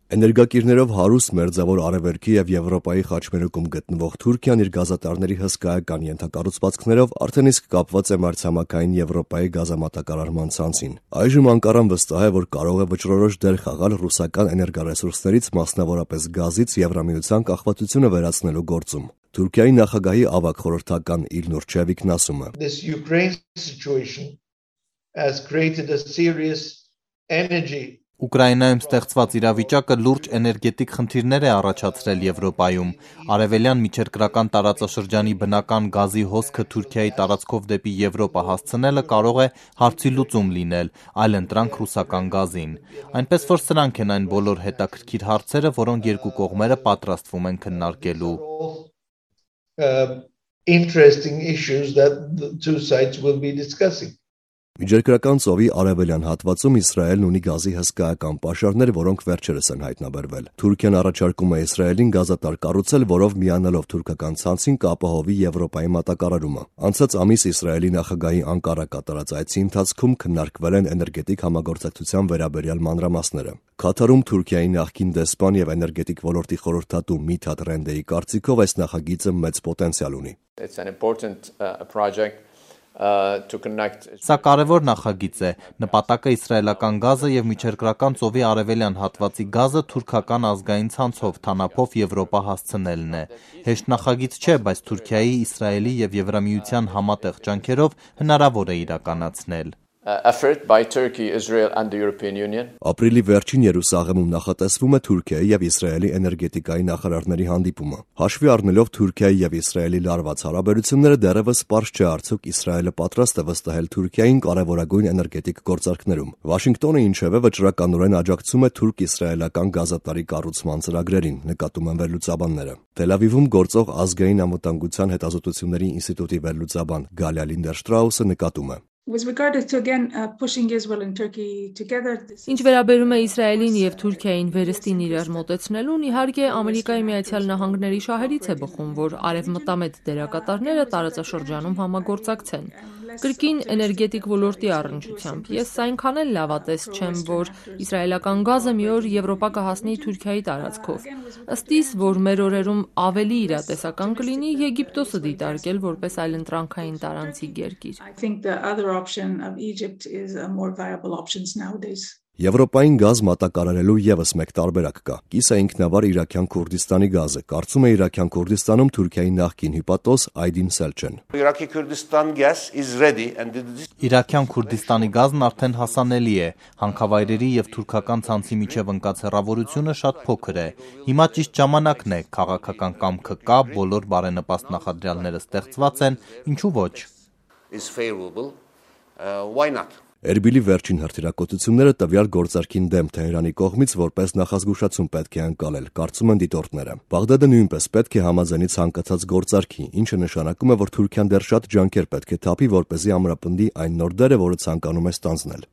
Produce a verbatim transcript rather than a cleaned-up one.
Էներգակիրներով հարուստ Մերձավոր Արևելքի և Եվրոպայի խաչմերուկում գտնվող Թուրքիան իր գազատարների հսկայական ենթակառուցվածքներով արդեն իսկ կապված է մայրցամաքային Եվրոպայի գազամատակարարման ցանցին։ Այժմ Անկարան վստահ է, որ կարող է վճռորոշ դեր խաղալ ռուսական էներգառեսուրսներից, մասնավորապես գազից Եվրամիության կախվածությունը վերացնելու գործում։ Թուրքիայի նախագահի ավագ խորհրդական Իլնուր Չևիկն ասում է. This Ukraine situation has created a serious energy Ուկրաինայում ստեղծված իրավիճակը լուրջ էներգետիկ խնդիրներ է առաջացրել Եվրոպայում։ Արևելյան միջերկրական տարածաշրջանի բնական գազի հոսքը Թուրքիայի տարածքով դեպի Եվրոպա հասցնելը կարող է հարցի լուծում լինել, այլընտրանք ռուսական գազին։ Այնպես որ սրանք են այն բոլոր հետաքրքիր հարցերը, որոնք երկու կողմերը պատրաստվում են քննարկելու։ Interesting issues that the two sides will be discussing. Միջերկրական ծովի արևելյան հատվածում Իսրայելն ունի գազի հսկայական պաշարներ, որոնք վերջերս են հայտնաբերվել։ Թուրքիան առաջարկում է Իսրայելին գազատար կառուցել, որով միանալով թուրքական ցանցին կապահովի Եվրոպայի մատակարարումը։ Անցած ամիս Իսրայելի նախագահի Անկարա կատարած այցի ընթացքում քննարկվել են էներգետիկ համագործակցության վերաբերյալ մանրամասները։ Քաթարում Թուրքիայի նախկին դեսպան եւ էներգետիկ ոլորտի խորհրդատու Միթաթ Ռենդեի կարծիքով այս նախագիծը մեծ պոտենցիալ ունի։ It's an important uh, project. Uh, to connect... Սա կարևոր նախագիծ է։ Նպատակը իսրայելական գազը եւ միջերկրական ծովի արևելյան հատվածի գազը թուրքական ազգային ցանցով թանապով Եվրոպա հասցնելն է։ Հեշտ նախագիծ չէ, բայց Թուրքիայի, Իսրայելի եւ Եվրամիության համատեղ ջանքերով հնարավոր է իրականացնել։ effort by Turkey, Israel and the European Union. Ապրիլի վերջին Երուսաղեմում նախատեսվում է Թուրքիայի եւ Իսրայելի էներգետիկայի նախարարների հանդիպումը։ Հաշվի առնելով Թուրքիայի եւ Իսրայելի լարված հարաբերությունները, դեռևս պարզ չէ արդյոք Իսրայելը պատրաստ է վստահել Թուրքիային կարևորագույն էներգետիկ գործարքներում։ Վաշինգտոնը ինչևէ վճռականորեն աջակցում է թուրք-իսրայելական գազատարի կառուցման ծրագրերին, նկատում են վերլուծաբանները։ Թել Ավիվում գործող ազգային անվտանգության հետազոտությունների ինստիտուտի վերլուծաբան Գալիա Լինդերշտրաուսը նկատում է. With regard to again uh, pushing Israel and Turkey together. Ինչ վերաբերում է Իսրայելին եւ Թուրքիային վերստին իրար մոտեցնելուն, իհարկե Ամերիկայի Միացյալ Նահանգների շահերից է բխում, որ արևմտամետ դերակատարները տարածաշրջանում համագործակցեն։ Կրկին էներգետիկ ոլորտի առնչությամբ ես այնքան էլ լավատես չեմ, որ իսրայելական գազը մի օր Եվրոպա կհասնի Թուրքիայի տարածքով։ Ըստ իս, որ մեր օրերում ավելի իրատեսական կլինի Եգիպտոսը դիտարկել որպես այլընտրանքային տարանցիկ երկիր։ I think the other option of Egypt is a more viable options nowadays. Եվրոպային գազ մատակարարելու եւս մեկ տարբերակ կա։ Կիսա ինքնավար Իրաքյան Քուրդիստանի գազը, կարծում է Իրաքյան Քուրդիստանում Թուրքիայի նախկին հյուպատոս Այդին Սելչեն։ Iraqi Kurdistan gas is ready and this... Իրաքյան Քուրդիստանի գազն արդեն հասանելի է։ Հանքավայրերի եւ թուրքական ցանցի միջև ընկած հեռավորությունը շատ փոքր է։ Հիմա ճիշտ ժամանակն է, քաղաքական կամքը կա, բոլոր բարենպաստ նախադրյալները ստեղծված են, ինչու ոչ։ is favorable. Uh, why not? Էրբիլի վերջին հրթիռակոծությունները տվյալ գործարքին դեմ Թեհրանի կողմից որպես նախազգուշացում պետք է անցալել, կարծում են դիտորդները։ Բաղդադը նույնպես պետք է համաձայնի ցանկացած գործարքի, ինչը նշանակում է, որ Թուրքիան դեռ շատ ջանքեր պետք է թափի, որպեսզի ամրապնդի այն նոր դերը, որը ցանկանում է ստանձնել։